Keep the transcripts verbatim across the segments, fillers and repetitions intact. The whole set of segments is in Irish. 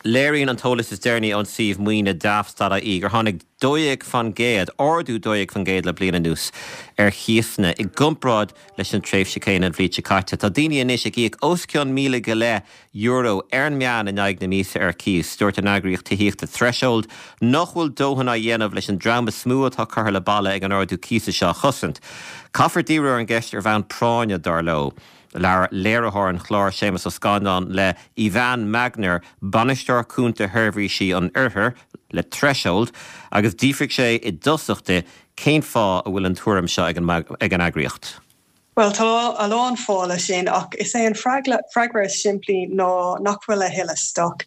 Léiríonn an t-eolas is deireanaí ón suíomh maoine Daft dot I E gur tháinig dó dhéag faoin gcéad, ardú dó dhéag faoin gcéad le bliain anuas ar chíosanna i gcomparáid leis an tréimhse céanna an bhliain seo caite. Tá daoine anois ag íoc os cionn míle go leith euro ar an meán in aghaidh na míosa ar cíos. Dúirt an eagraíocht tithíochta Threshold nach bhfuil dóthain á dhéanamh leis an dream is mó atá curtha le balla ag an ardú cíosa seo a chosaint. Caithfear díriú ar an gceist ar bhonn práinne, dar leo. Labhair léiritheoir an chláir Séamus Ó Scanláin le Ivan Magner, bainisteoir cúnta sheirbhísí an Oirthir le Threshold, agus d'fhiafraigh sé i dtosach de cén fáth a bhfuil an tuairim seo ag an ag an eagraíocht. Well, tá a lán fáthanna leis sin, ach is é an freagra is simplí ná nach bhfuil a thuilleadh stoc.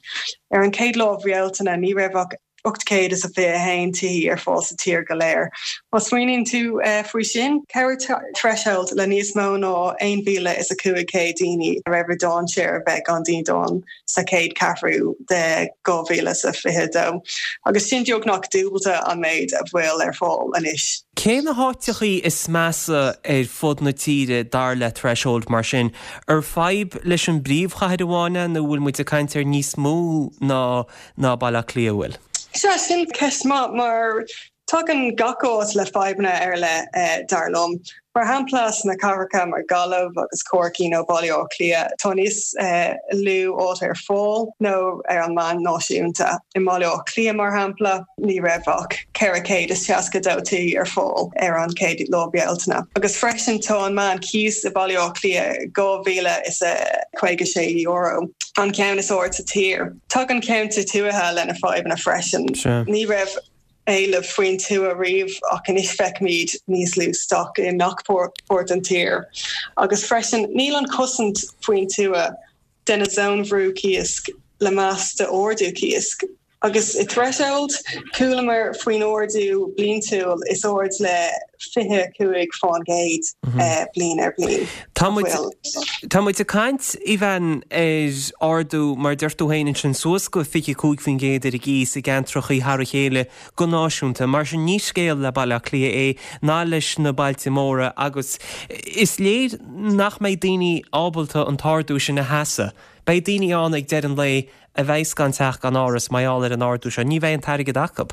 Ar an chéad lá Bealtaine, ní raibh ach ocht céad is a fiche a haon tí ar fáil sa tír go léir. Má smaoiníonn tú uh, faoi sin, chabhraigh Threshold le níos mó ná aon mhíle is a cúig céad daoine a raibh i ndainséar a bheith gan dídean sa chéad ceathrú de dhá mhíle is a fiche dó. Agus sin beagnach dúbailte an méid a bhfuil ar fáil anois. Cé na háiteachaí is measa ar fud na tíre dar le Threshold mar sin, ar fadhb leis an bpríomhchathair amháin nó bhfuil muid ag caint ar níos mó ná ná Baile Átha Cliath bhfuil? Sea, sin ceist maith, mar tagann gach áit le fadhbanna ar leith eh, dar liom. Mar shampla, sna cathracha mar Gaillimh agus Corcaigh nó Baile Átha Cliath, tá níos eh, lú áit ar fáil ná ar an meán náisiúnta. I mBaile Átha Cliath, mar shampla, ní raibh ach ceithre chéad is seasca dó tí ar fáil ar an chéad lá Bealtaine. Agus freisin tá an meán cíos i Baile Átha Cliath dhá mhíle is a caoga sé euro, an ceann is airde sa tír. Tagann ceantair tuaithe lena fadhbanna freisin. Ní raibh éileamh faoin tuath riamh, ach anois feicimid níos lú stoc i ngach páirt den tír. Agus freisin níl an chosaint faoin tuath de na zóin bhrú cíos le meas d'ardú cíos. Agus i Threshold, chualamar faoin ardú bliantúil is airde le fiche cúig faoin gcéad mhm. bliain ar bliain. Tá muid ag caint, Ivan, ar ardú, mar deir tú féin sin, suas go fiche cúig faoin gcéad ar an gcíos i gceantrachaí thar a chéile go náisiúnta, mar sin ní scéal le Baile Átha Cliath é ná leis na bailte móra, agus is léir nach mbeidh daoine ábalta an t-ardú sin a sheasamh. Beidh daoine ann ag deireadh an lae a bheidh gan teach, gan áras, mar gheall ar an ardú seo, ní bheidh an t-airgead acu.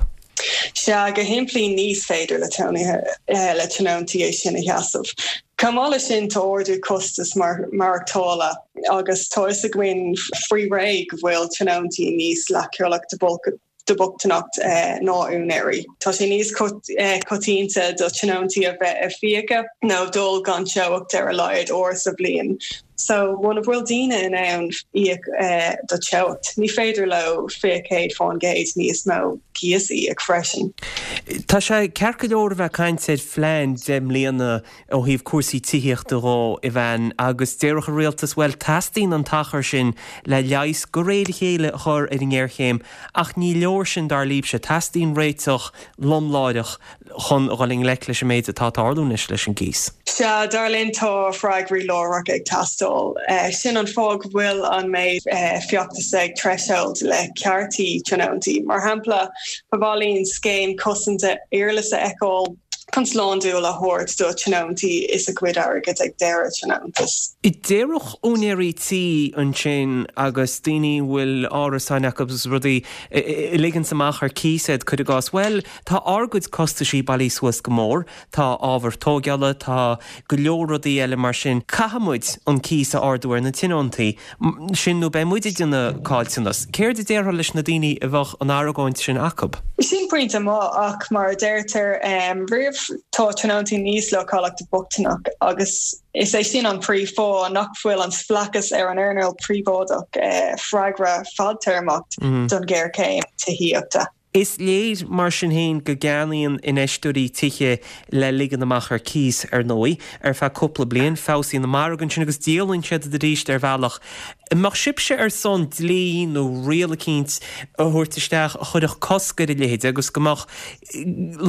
Sea, go simplí ní féidir le tónithe eh, le tionóntaí é sin a sheasamh. Chomh maith leis sin, tá ardú costas mar maireachtála, agus tá fhios againn faoi ré go bhfuil tionóntaí níos leochailí do bhochtaineacht eh, ná úinéirí. Tá sé níos eh, coitianta do tionóntaí a bheith ag fiacha nó dul gan teocht ar a laghad uair sa bhliain. So muna bhfuil daoine in ann íoc eh, do teocht, ní féidir leo fiche céad faoin gcéad níos mó cíos íoc freisin. Tá sé ceart go leor a bheith caint ar phlean deich mbliana ó thaobh cúrsaí tithíochta dhó, Ivan, agus déarfadh an rialtas, well, teastaíonn an t-achar sin le leigheas de réir a chéile a chur ar an ngéarchéim, ach ní leor sin dar libhse, teastaíonn réiteach lomláireach chun dhul i ngleic leis an méid atá tarlú anois leis an gcíos. Sea, dar linn tá freagraí láithreach ag teastáil. Uh, sin an fáth go bhfuil an méid uh, feachtas ag Threshold le cearta tionóntaí. Mar shampla, ba mhaith linn scéim cosanta iarlas a fheiceáil chun slándáil a thabhairt do tionóntaí is a gcuid airgead ag deireadh tionóntas. I déarfadh úinéirí tí ansin agus daoine bhfuil árasáin acu agus rudaí ag ligean amach ar cíos, cuir i gcás, well, tá ár gcuid costaisí bailithe suas go mór, tá ábhar tógála, tá go leor rudaí eile mar sin. Caithfimid an cíos a ardú ar na tionóntaí sin nó beidh muid ag déanamh caillteanas. Céard a déarfá leis na daoine a bheadh an argóint sin acu? Sin pointe maith, ach mar a deirtear um, riamh, tá tionóntaí níos leochailí do bhochtaineacht, agus is é sin an príomhfháth nach bhfuil an spleáchas ar an earnáil príobháideach eh, freagra fadtéarmach mm -hmm. don ghéarchéim tithíochta. Is léir mar sin féin go gceannaíonn infheisteoirí tithe le ligean amach ar cíos, ar ndóigh, ar feadh cúpla bliain, feabhsaíonn an margadh ansin agus díolann siad arís ar bhealach. Mbeadh sibhse ar son dlí nó riail eicínt a thabhairt isteach a chuirfeadh cosc ar a leithéid agus go mbeadh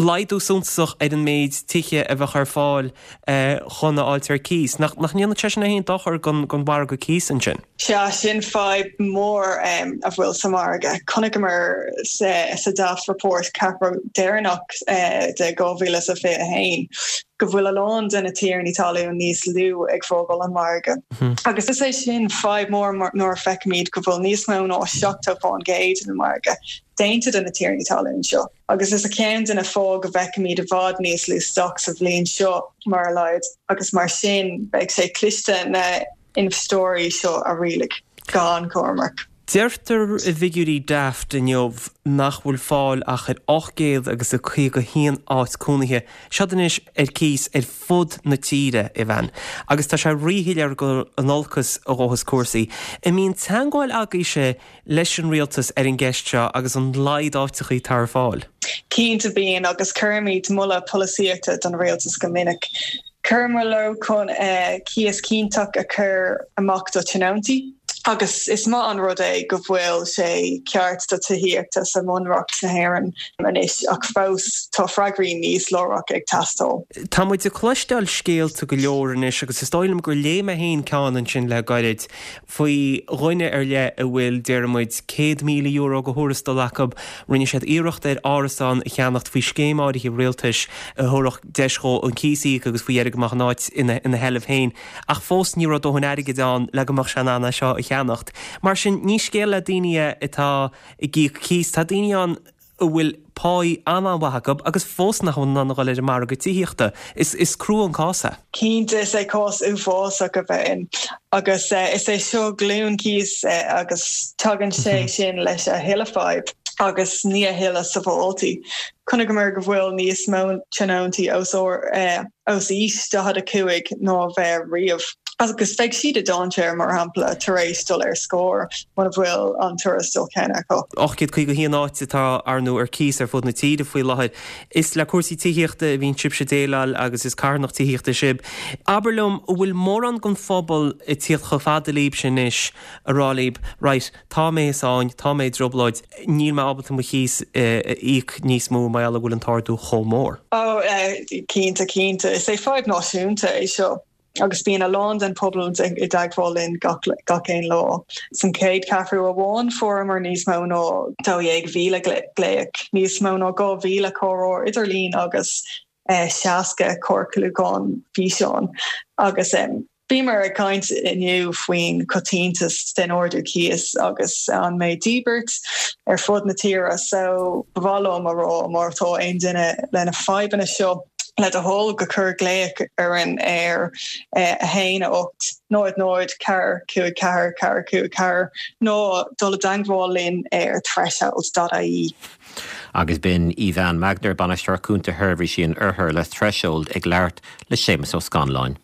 laghdú suntasach ar an méid tithe a bheadh ar fáil chun a fháilt ar cíos? Nach ndéanann sé sin aon dochar don mhargadh cíos ansin? Sea, sin fadhb mór um, a bhfuil sa margadh. Chonaiceamar sa, sa Daft Report ceathrú deireanach uh, de dhá mhíle is a fiche haon. go bhfuil a lán de na tiarnaí talún níos lú ag fágáil an margadh. Agus is é sin fadhb mór nuair a feicimid go bhfuil níos mó ná seachtó faoin gcéad den margadh déanta de na tiarnaí talún seo. Agus is é ceann de na fáth go bhfeicimid i bhfad níos lú stoc sa bhliain seo mar a laghad agus mar sin beidh sé cliste na infheisteoirí seo a rialaigh gan comhmarc. Deirtear i bhfigiúirí Daft inniu nach bhfuil fáil ach ar ocht gcéad agus a caoga haon áit cónaithe, siod anois ar cíos ar fud na tíre, Aoibheann, agus tá sé ríshoiléir gur in olcas a ghabhfas cúrsaí. An mbíonn teagmháil agaibhse leis an rialtas ar an gceist seo agus an laghad áiteachaí atá ar fáil? Cinnte bíonn agus cuirimid moladh polasaíochta don rialtas go minic. Chuireamar leo chun cíos cinnteach a chur amach do tionóntaí agus is maith an rud é go bhfuil sé ceart do tithíochta sa mBunreacht na hÉireann anois ach fós tá freagraí níos lárach ag teastáil. Tá muid ag cloisteáil scéalta go leor anois agus is dóigh liom gur léigh mé féin ceann ansin le gairid faoi dhuine ar leith a bhfuil, déarfaidh muid, céad míle euro de thuarastal acu. Rinne siad iarracht ar árasán a cheannacht faoi scéim áirithe rialtais a thabharfadh deis dhó an cíos a íoc agus faoi dheireadh go mbeadh an áit ina sheilbh féin. Ach fós ní raibh dóthain airgid ann le go mbeadh sé in ann é seo a cheannacht. Mar sin, ní scéal le daoine é atá ag íoc cíos. Tá daoine ann a bhfuil páí an-an-mhaith acu agus fós nach bhfuil in ann a dhul ar an margadh tithíochta. Is is crua an cás é. Cinnte, is é cás uafásach a bheith ann agus is é seo glúin cíos agus tagann sé sin leis a thuilleadh fadhb agus ní a thuilleadh sábháiltí. Chonaiceamar go bhfuil níos mó tionóntaí os os aois daichead a cúig ná a bheith riamh. Agus beidh siad i dainséar, mar shampla, tar éis dul ar scor muna bhfuil an tuarastal céanna acu. ocht gcéad caoga a haon áit atá, ar ndóigh, ar cíos ar fud na tíre faoi láthair. Is le cúrsaí tithíochta a bhíonn sibhse ag déileáil agus is carthanacht tithíochta sibh. Abair liom, an bhfuil mórán den phobal ag tíocht chomh fada libhse anois a rá libh, right, tá mé i sáinn, tá mé i dtrioblóid, níl mé ábalta mo chíos a íoc níos mó mar gheall go bhfuil an t-ardú chomh mór? Ó, cinnte, cinnte. Is é fadhb náisiúnta é seo. Agus bíonn a lán den phobal i dteagmháil linn gach gach aon lá. San chéad cheathrú amháin fuaireamar níos mó ná dó dhéag mhíle glaoch, níos mó ná dhá mhíle comhrá idirlín agus seasca comhairliúchán físeáin. Agus bhíomar ag caint inniu faoin choitiantas den ardú cíos agus an mbeidh díbirt ar fud na tíre so ba mhaith liom a rá má tá aon duine lena fadhbanna seo le do thoil go cuir glaoch orainn ar a haon a hocht náid náid ceathair cúig ceathair ceathair cúig ceathair nó dul i dteagmháil linn ar threshold dot ie. Agus b'in Aoibheann Magner, Bainisteoir Cúnta Sheirbhísí an Oirthir le Threshold ag labhairt le Séamus Ó Scanláin.